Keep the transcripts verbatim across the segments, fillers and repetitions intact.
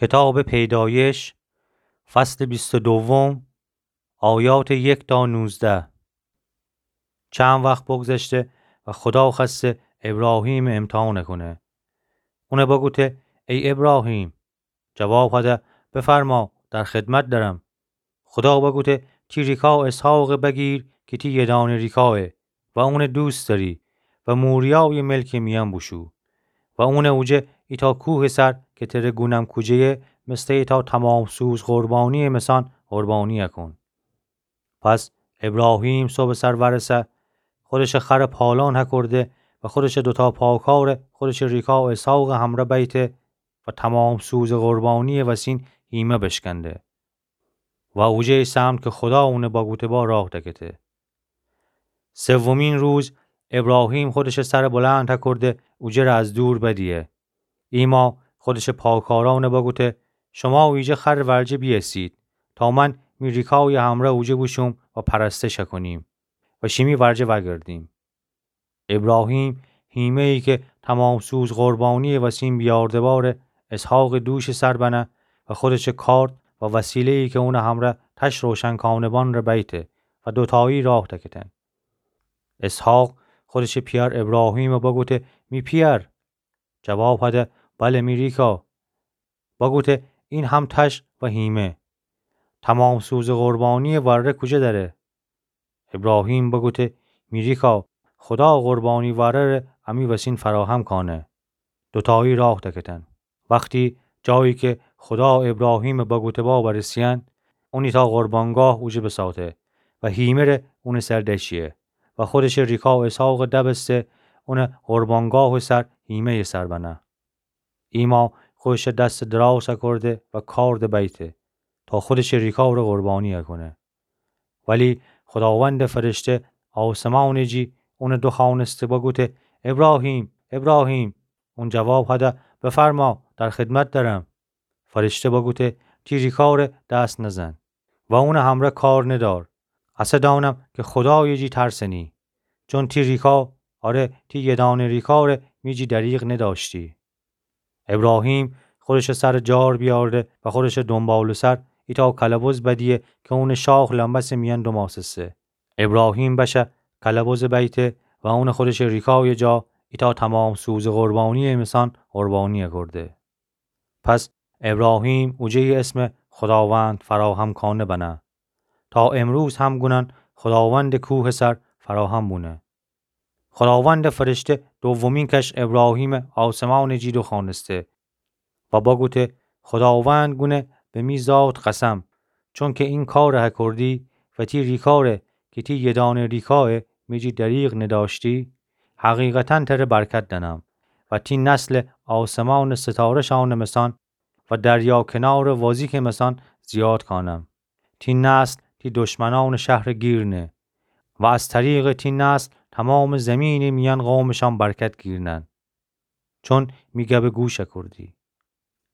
کتابٚ پیدایش، فصلٚ بیست و دوم، آیاتٚ یک تا نوزده. چند وخت بگذشته و خودا خوأسته ابراهیمَ امتحان کونه. اونَ بگوته: ای ابراهیم! جواب هده: بفرما، در خدمت درم. خودا بگوته: تی ریکا اسحاقَ بگیر کی تی یدأنٚ ریکایه و اونَ دوست دأری و موریایٚ ملکٚ میأن بوشو و اونَ اوجه ایتأ کوهٚ سر کی تره گونم کوجه‌یه، مثلٚ ایتأ تمام‌سوز قربانی‌یٚ مسان قربانی کون. پس ابراهیم صبحٚ سر ورسه، خودشٚ خرَ پالان هکرده و خودشٚ دوتأ پاکارَ خودشٚ ریکا اسحاقٚ همرأ بیته و تمام‌سوزٚ قربانی‌یٚ وسین هیمه بشکنده و اوجه سمت کی خودا اونَ بگوته با راه دکته. سومین روز ابراهیم خودشٚ سرَ بلند هکرده اوجه‌ره از دور بدیه. ایما خودشٚ پاکارأنَ بگوته: شما ایجه خرٚ ورجه بیأسید تا من می ریکایٚ همرأ اوجه بوشوم و پرستش هکونیم و شیمی ورجه وأگردیم. ابراهیم هیمه‌یی کی تمام‌سوز قربانی‌یٚ وسین بیأرده باره اسحاقٚ دوشٚ سر بنه و خودشٚ کارد و وسیله‌یی کی اونٚ همرأ تش روشن کانه بأن ره بیته و دوتأیی راه دکتن. اسحاق خودشٚ پیأر ابراهیمَ بگوته: می پیأر! جواب هده: بله، می ریکا. بگوته: این هم تش و هیمه. تمام‌سوزٚ قربانی‌یٚ وأره کوجه دأره؟ ابراهیم بگوته: می ریکا، خودا قربانی وأره‌ره امی وسین فراهم کانه. دوتأیی راه دکتن. وختی جایی کی خودا ابراهیمٚ بگوته با برسه‌یأن، اون ایتأ قربانگاه اوجه بساته و هیمه ره اونٚ سر دشیه و خودشٚ ریکا اسحاقَ دبسته اونٚ قربانگاهٚ سر هیمه‌یٚ سر بنه. ایما خودشٚ دستَ دراز هکرده و کارد بیته تا خودشٚ ریکارَ قربانی هکونه. ولی خوداوندٚ فرشته آسمانٚ جی اونَ دوخوأنسته بگوته: ابراهیم، ابراهیم! اون جواب هده: بفرما، در خدمت درم. فرشته بگوته: تی ریکارَ دست نزن و اونٚ همرأ کار ندار. اسه دأنم کی خودایٚ جی ترسنی، چون تی ریکا، آره، تی یه دأنه ریکارَ می جی دریغ ندأشتی. ابراهیم خودشٚ سرَ جار بیأرده و خودشٚ دونبالٚ سر ایتأ کلبز بدیه کی اونٚ شاخ لمبسٚ میأن دومأسسه. ابراهیم بشه کلبزَ بیته و اونَ خودشٚ ریکایٚ جا ایتأ تمام‌سوزٚ قربانی‌یٚ میسان قربانی اکرده. پس ابراهیم اوجه‌یٚ اسمَ خوداوند فراهم کانه بنه. تا امروز هم گونن خوداوندٚ کوهٚ سر فراهم بونه. خوداوندٚ فرشته دومین کش ابراهیمَ آسمانٚ جی دوخوأنسته و بگوته: خوداوند گونه به می ذات قسم، چونکی این کارَ هکردی و تی ریکارَ کی تی یه دأنه ریکایَ می جی دریغ ندأشتی، حقیقتاً تره برکت دأنم و تی نسلَ آسمانٚ ستاره‌شأنٚ میسان و دریا کنارٚ وازیکٚ میسان زیاد کانم. تی نسل تی دشمنأنٚ شهرَ گیر نه و از طریقٚ تی نسل تومامٚ زیمینٚ میأن قومٚ شأن برکت گیر نأن، چون می گبَ گوش اکردی.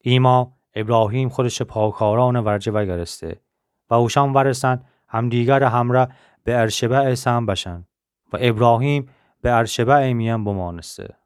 ایما ابراهیم خودشٚ پاکارأنٚ ورجه وأگرسته و اوشأن وأرسن همدیگرٚ همرأ بئرشبعٚ سم بشن و ابراهیم بئرشبعٚ میأن بمأنسته.